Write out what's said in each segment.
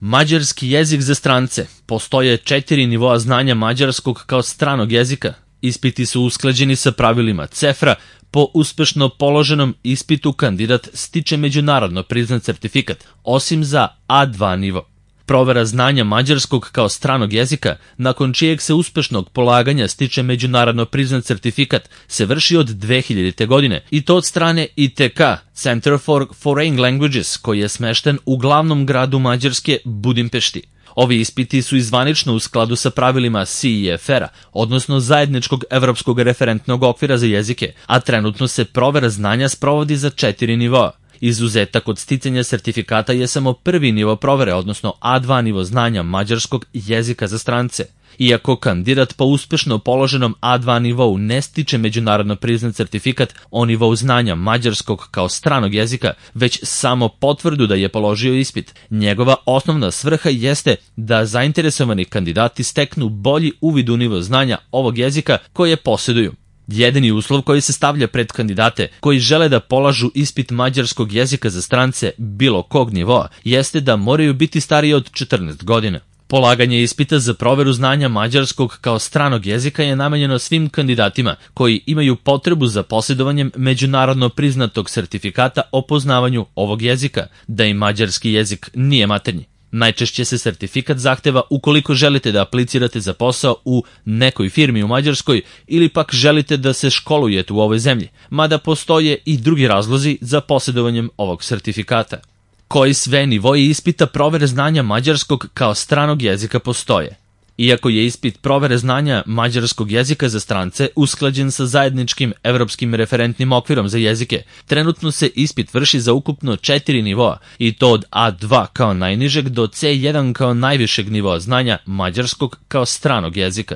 Mađarski jezik za strance. Postoje 4 nivoa znanja mađarskog kao stranog jezika. Ispiti su usklađeni sa pravilima CEFRA. Po uspešno položenom ispitu kandidat stiče međunarodno priznat sertifikat, osim za A2 nivo. Provera znanja mađarskog kao stranog jezika, nakon čijeg se uspešnog polaganja stiče međunarodno priznat sertifikat, se vrši od 2000. godine i to od strane ITK, Center for Foreign Languages, koji je smešten u glavnom gradu Mađarske, Budimpešti. Ovi ispiti su zvanično u skladu sa pravilima CEFR-a, odnosno Zajedničkog evropskog referentnog okvira za jezike, a trenutno se provera znanja sprovodi za 4 nivoa. Izuzetak od sticanja sertifikata je samo prvi nivo provere, odnosno A2 nivo znanja mađarskog jezika za strance. Iako kandidat po uspešno položenom A2 nivou ne stiče međunarodno priznat sertifikat o nivou znanja mađarskog kao stranog jezika, već samo potvrdu da je položio ispit, njegova osnovna svrha jeste da zainteresovani kandidati steknu bolji uvid u nivo znanja ovog jezika koje posjeduju. Jedini uslov koji se stavlja pred kandidate koji žele da polažu ispit mađarskog jezika za strance bilo kog nivoa jeste da moraju biti stariji od 14 godina. Polaganje ispita za proveru znanja mađarskog kao stranog jezika je namenjeno svim kandidatima koji imaju potrebu za posjedovanjem međunarodno priznatog sertifikata o poznavanju ovog jezika, da im mađarski jezik nije maternji. Najčešće se sertifikat zahteva ukoliko želite da aplicirate za posao u nekoj firmi u Mađarskoj ili pak želite da se školujete u ovoj zemlji, mada postoje i drugi razlozi za posjedovanjem ovog sertifikata. Koji sve nivoji ispita provere znanja mađarskog kao stranog jezika postoje? Iako je ispit provere znanja mađarskog jezika za strance usklađen sa zajedničkim evropskim referentnim okvirom za jezike, trenutno se ispit vrši za ukupno 4 nivoa i to od A2 kao najnižeg do C1 kao najvišeg nivoa znanja mađarskog kao stranog jezika.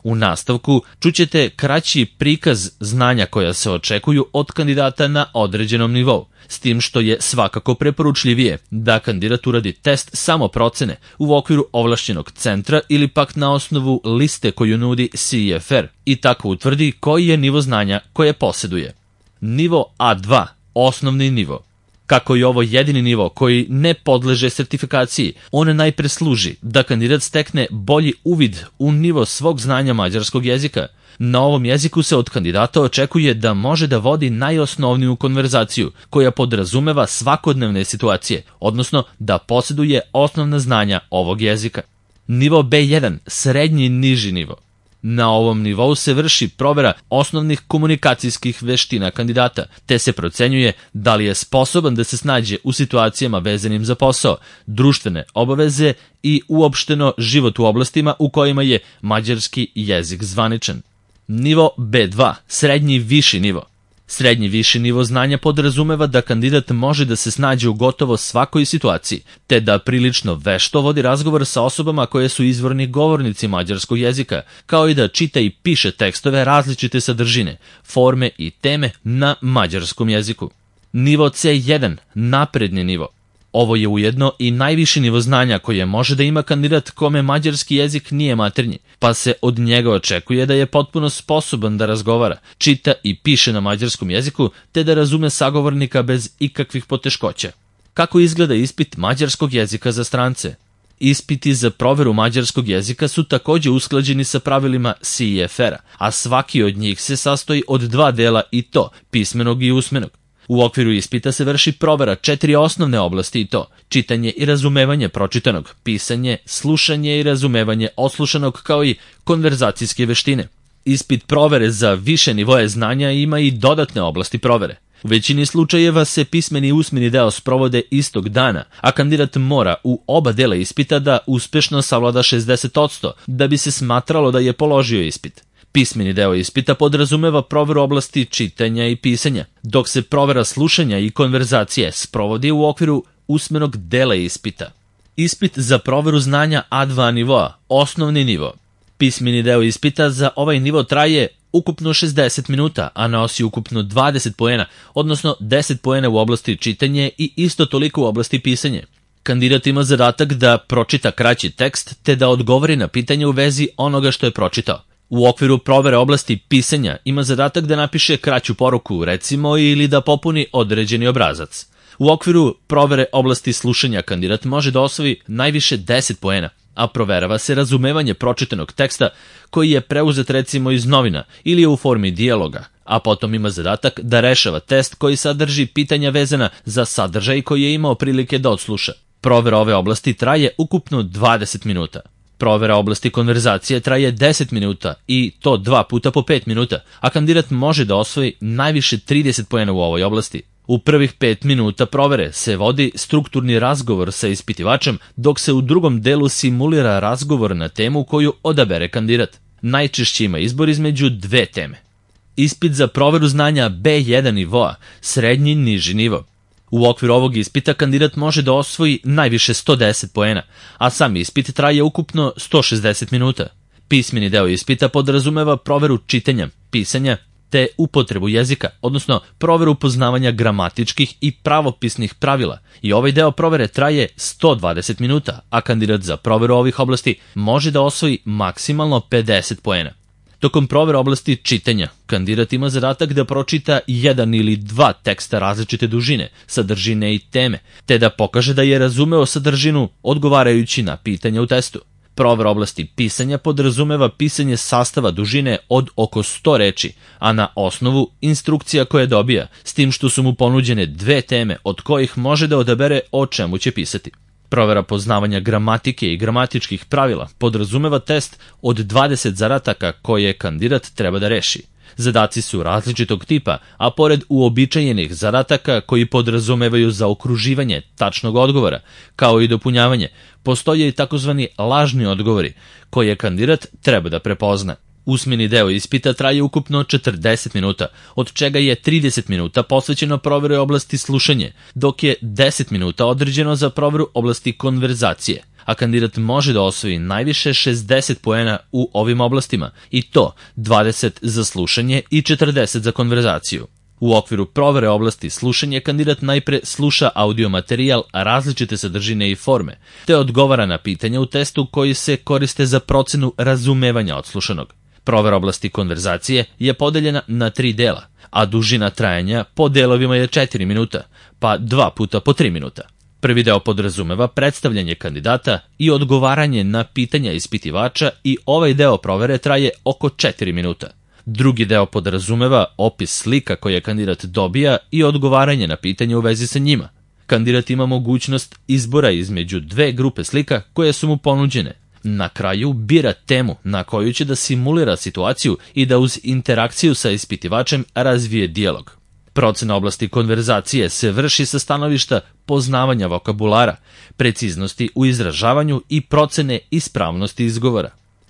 U nastavku čućete kraći prikaz znanja koja se očekuju od kandidata na određenom nivou, s tim što je svakako preporučljivije da kandidat uradi test samoprocene u okviru ovlašćenog centra ili pak na osnovu liste koju nudi CEFR i tako utvrdi koji je nivo znanja koje posjeduje. Nivo A2, osnovni nivo. Kako je ovo jedini nivo koji ne podleže sertifikaciji, on najpre služi da kandidat stekne bolji uvid u nivo svog znanja mađarskog jezika. Na ovom jeziku se od kandidata očekuje da može da vodi najosnovniju konverzaciju koja podrazumeva svakodnevne situacije, odnosno da posjeduje osnovna znanja ovog jezika. Nivo B1, srednji niži nivo. Na ovom nivou se vrši provera osnovnih komunikacijskih veština kandidata, te se procenjuje da li je sposoban da se snađe u situacijama vezanim za posao, društvene obaveze i uopšteno život u oblastima u kojima je mađarski jezik zvaničan. Nivo B2, srednji viši nivo. Srednji viši nivo znanja podrazumeva da kandidat može da se snađe u gotovo svakoj situaciji, te da prilično vešto vodi razgovor sa osobama koje su izvorni govornici mađarskog jezika, kao i da čita i piše tekstove različite sadržine, forme i teme na mađarskom jeziku. Nivo C1, napredni nivo. Ovo je ujedno i najviši nivo znanja koje može da ima kandidat kome mađarski jezik nije maternji, pa se od njega očekuje da je potpuno sposoban da razgovara, čita i piše na mađarskom jeziku, te da razume sagovornika bez ikakvih poteškoća. Kako izgleda ispit mađarskog jezika za strance? Ispiti za proveru mađarskog jezika su također usklađeni sa pravilima CEFR-a, a svaki od njih se sastoji od 2 dela i to, pismenog i usmenog. U okviru ispita se vrši provera 4 osnovne oblasti i to, čitanje i razumevanje pročitanog, pisanje, slušanje i razumevanje odslušanog kao i konverzacijske veštine. Ispit provere za više nivoje znanja ima i dodatne oblasti provere. U većini slučajeva se pismeni i usmeni deo sprovode istog dana, a kandidat mora u oba dela ispita da uspešno savlada 60% da bi se smatralo da je položio ispit. Pismeni deo ispita podrazumeva proveru oblasti čitanja i pisanja, dok se provera slušanja i konverzacije sprovodi u okviru usmenog dela ispita. Ispit za proveru znanja A2 nivoa, osnovni nivo. Pismeni deo ispita za ovaj nivo traje ukupno 60 minuta, a nosi ukupno 20 poena, odnosno 10 poena u oblasti čitanje i isto toliko u oblasti pisanje. Kandidat ima zadatak da pročita kraći tekst te da odgovori na pitanje u vezi onoga što je pročitao. U okviru provere oblasti pisanja ima zadatak da napiše kraću poruku, recimo, ili da popuni određeni obrazac. U okviru provere oblasti slušanja kandidat može da osvoji najviše 10 poena, a proverava se razumevanje pročitanog teksta koji je preuzet recimo iz novina ili je u formi dijaloga, a potom ima zadatak da rešava test koji sadrži pitanja vezana za sadržaj koji je imao prilike da odsluša. Provera ove oblasti traje ukupno 20 minuta. Provera oblasti konverzacije traje 10 minuta i to 2 puta po 5 minuta, a kandidat može da osvoji najviše 30 poena u ovoj oblasti. U prvih 5 minuta provere se vodi strukturni razgovor sa ispitivačem, dok se u drugom delu simulira razgovor na temu koju odabere kandidat. Najčešće ima izbor između dve teme. Ispit za proveru znanja B1 nivoa, srednji niži nivo. U okviru ovog ispita kandidat može da osvoji najviše 110 poena, a sam ispit traje ukupno 160 minuta. Pismeni deo ispita podrazumeva proveru čitanja, pisanja, te upotrebu jezika, odnosno proveru poznavanja gramatičkih i pravopisnih pravila. I ovaj deo provere traje 120 minuta, a kandidat za proveru ovih oblasti može da osvoji maksimalno 50 poena. Tokom provere oblasti čitanja, kandidat ima zadatak da pročita jedan ili dva teksta različite dužine, sadržine i teme, te da pokaže da je razumeo sadržinu odgovarajući na pitanja u testu. Provera oblasti pisanja podrazumeva pisanje sastava dužine od oko 100 reči, a na osnovu instrukcija koje dobija, s tim što su mu ponuđene dve teme od kojih može da odabere o čemu će pisati. Provera poznavanja gramatike i gramatičkih pravila podrazumeva test od 20 zadataka koje kandidat treba da reši. Zadaci su različitog tipa, a pored uobičajenih zadataka koji podrazumevaju zaokruživanje tačnog odgovora, kao i dopunjavanje, postoje i takozvani lažni odgovori, koje kandidat treba da prepozna. Usmeni deo ispita traje ukupno 40 minuta, od čega je 30 minuta posvećeno proveri oblasti slušanje, dok je 10 minuta određeno za proveru oblasti konverzacije, a kandidat može da osvoji najviše 60 poena u ovim oblastima, i to 20 za slušanje i 40 za konverzaciju. U okviru provere oblasti slušanje kandidat najpre sluša audio materijal različite sadržine i forme, te odgovara na pitanja u testu koji se koriste za procenu razumevanja odslušanog. Provera oblasti konverzacije je podeljena na 3 dela, a dužina trajanja po delovima je 4 minuta, pa 2 puta po 3 minuta. Prvi deo podrazumeva predstavljanje kandidata i odgovaranje na pitanja ispitivača i ovaj deo provere traje oko 4 minuta. Drugi deo podrazumeva opis slika koje kandidat dobija i odgovaranje na pitanje u vezi sa njima. Kandidat ima mogućnost izbora između dve grupe slika koje su mu ponuđene. Na kraju bira temu na koju će da simulira situaciju i da uz interakciju sa ispitivačem razvije dijalog. Procena oblasti konverzacije se vrši sa stanovišta poznavanja vokabulara, preciznosti u izražavanju i procene ispravnosti izgovora.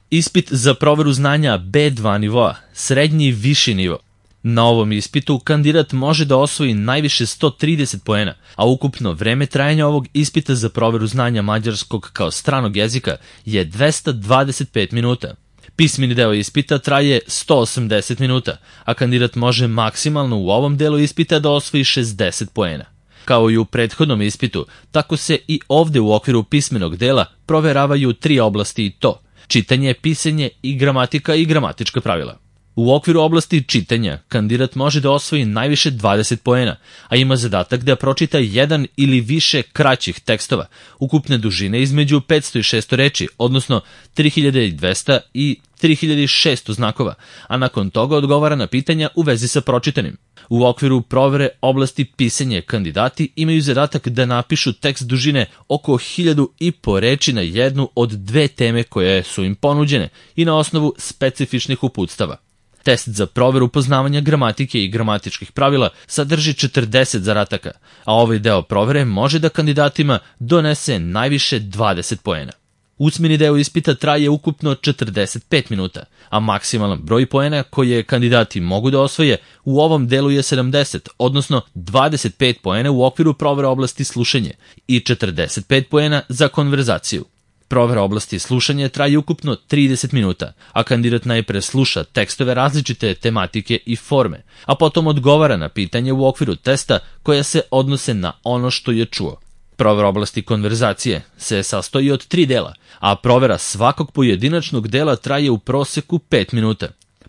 Ispit za proveru znanja B2 nivoa, srednji viši nivo. Na ovom ispitu kandidat može da osvoji najviše 130 poena, a ukupno vreme trajanja ovog ispita za proveru znanja mađarskog kao stranog jezika je 225 minuta. Pismeni deo ispita traje 180 minuta, a kandidat može maksimalno u ovom delu ispita da osvoji 60 poena. Kao i u prethodnom ispitu, tako se i ovde u okviru pismenog dela proveravaju 3 oblasti i to: čitanje, pisanje i gramatika i gramatička pravila. U okviru oblasti čitanja, kandidat može da osvoji najviše 20 poena, a ima zadatak da pročita jedan ili više kraćih tekstova, ukupne dužine između 500 i 600 reči, odnosno 3200 i 3600 znakova, a nakon toga odgovara na pitanja u vezi sa pročitanim. U okviru provere oblasti pisanje kandidati imaju zadatak da napišu tekst dužine oko 1500 reči na jednu od dve teme koje su im ponuđene i na osnovu specifičnih uputstava. Test za proveru poznavanja gramatike i gramatičkih pravila sadrži 40 zadataka, a ovaj deo provere može da kandidatima donese najviše 20 poena. Usmeni deo ispita traje ukupno 45 minuta, a maksimalan broj poena koje kandidati mogu da osvoje u ovom delu je 70, odnosno 25 poena u okviru provere oblasti slušanje i 45 poena za konverzaciju. Provera oblasti slušanja traje ukupno 30 minuta, a kandidat najpre sluša tekstove različite tematike i forme, a potom odgovara na pitanje u okviru testa koja se odnose na ono što je čuo. Provera oblasti konverzacije se sastoji od 3 dela, a provera svakog pojedinačnog dela traje u proseku 5 minuta.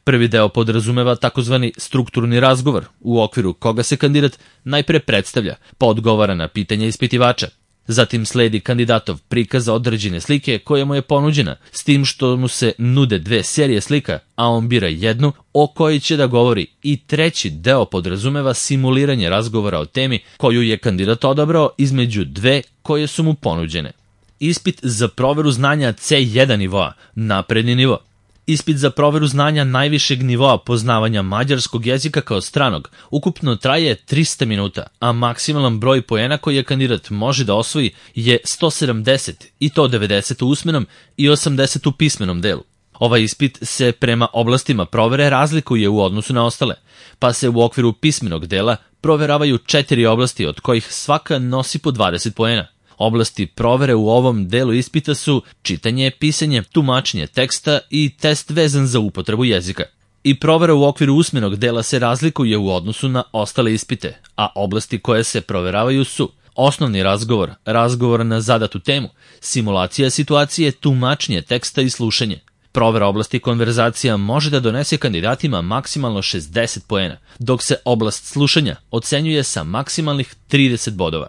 Prvi deo podrazumeva takozvani strukturni razgovor, u okviru koga se kandidat najpre predstavlja, pa odgovara na pitanja ispitivača. Zatim sledi kandidatov prikaz određene slike koja mu je ponuđena, s tim što mu se nude dve serije slika, a on bira jednu o kojoj će da govori, i treći deo podrazumeva simuliranje razgovora o temi koju je kandidat odabrao između dve koje su mu ponuđene. Ispit za proveru znanja C1 nivoa, napredni nivo. Ispit za proveru znanja najvišeg nivoa poznavanja mađarskog jezika kao stranog ukupno traje 300 minuta, a maksimalan broj poena koji je kandidat može da osvoji je 170, i to 90 u usmenom i 80 u pismenom delu. Ovaj ispit se prema oblastima provere razlikuje u odnosu na ostale, pa se u okviru pismenog dela proveravaju 4 oblasti od kojih svaka nosi po 20 poena. Oblasti provere u ovom delu ispita su čitanje, pisanje, tumačenje teksta i test vezan za upotrebu jezika. I provera u okviru usmenog dela se razlikuje u odnosu na ostale ispite, a oblasti koje se proveravaju su osnovni razgovor, razgovor na zadatu temu, simulacija situacije, tumačenje teksta i slušanje. Provera oblasti konverzacija može da donese kandidatima maksimalno 60 poena, dok se oblast slušanja ocenjuje sa maksimalnih 30 bodova.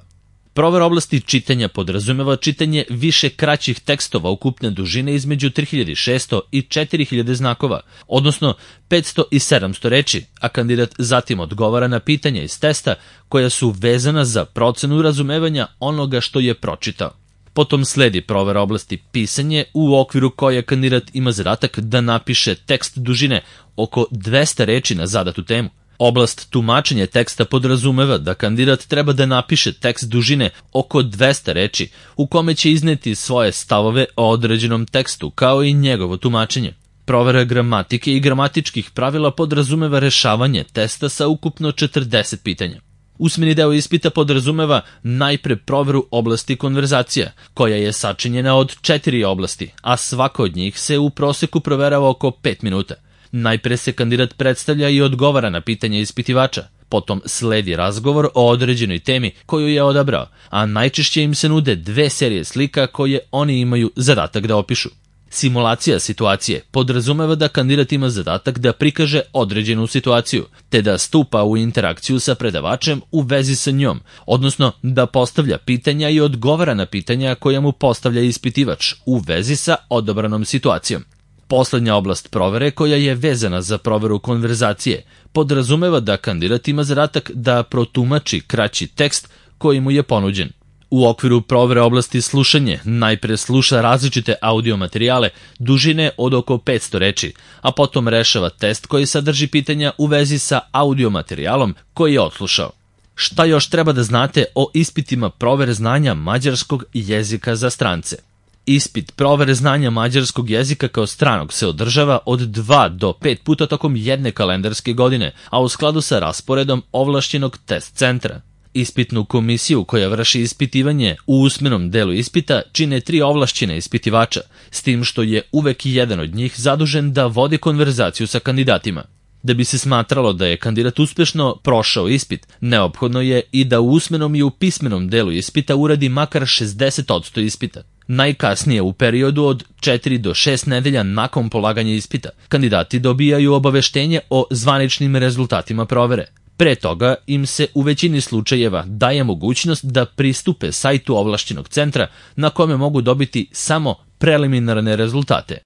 Provera oblasti čitanja podrazumeva čitanje više kraćih tekstova ukupne dužine između 3600 i 4000 znakova, odnosno 500 i 700 reči, a kandidat zatim odgovara na pitanja iz testa koja su vezana za procenu razumevanja onoga što je pročitao. Potom sledi provera oblasti pisanje, u okviru koje kandidat ima zadatak da napiše tekst dužine oko 200 reči na zadatu temu. Oblast tumačenja teksta podrazumeva da kandidat treba da napiše tekst dužine oko 200 reči u kome će izneti svoje stavove o određenom tekstu kao i njegovo tumačenje. Provera gramatike i gramatičkih pravila podrazumeva rešavanje testa sa ukupno 40 pitanja. Usmeni deo ispita podrazumeva najpre proveru oblasti konverzacija, koja je sačinjena od 4 oblasti, a svaka od njih se u proseku proverava oko 5 minuta. Najpre se kandidat predstavlja i odgovara na pitanje ispitivača, potom sledi razgovor o određenoj temi koju je odabrao, a najčešće im se nude dve serije slika koje oni imaju zadatak da opišu. Simulacija situacije podrazumeva da kandidat ima zadatak da prikaže određenu situaciju, te da stupa u interakciju sa predavačem u vezi sa njom, odnosno da postavlja pitanja i odgovara na pitanja koja mu postavlja ispitivač u vezi sa odabranom situacijom. Poslednja oblast provere, koja je vezana za proveru konverzacije, podrazumeva da kandidat ima zadatak da protumači kraći tekst koji mu je ponuđen. U okviru provere oblasti slušanje najpre sluša različite audio materijale dužine od oko 500 reči, a potom rešava test koji sadrži pitanja u vezi sa audio materijalom koji je odslušao. Šta još treba da znate o ispitima provere znanja mađarskog jezika za strance? Ispit provere znanja mađarskog jezika kao stranog se održava od 2 do 5 puta tokom jedne kalendarske godine, a u skladu sa rasporedom ovlašćenog test centra. Ispitnu komisiju koja vrši ispitivanje u usmenom delu ispita čine 3 ovlašćene ispitivača, s tim što je uvek jedan od njih zadužen da vodi konverzaciju sa kandidatima. Da bi se smatralo da je kandidat uspešno prošao ispit, neophodno je i da u usmenom i u pismenom delu ispita uradi makar 60% ispita. Najkasnije u periodu od 4 do 6 nedelja nakon polaganja ispita, kandidati dobijaju obaveštenje o zvaničnim rezultatima provere. Pre toga im se u većini slučajeva daje mogućnost da pristupe sajtu ovlašćenog centra na kome mogu dobiti samo preliminarne rezultate.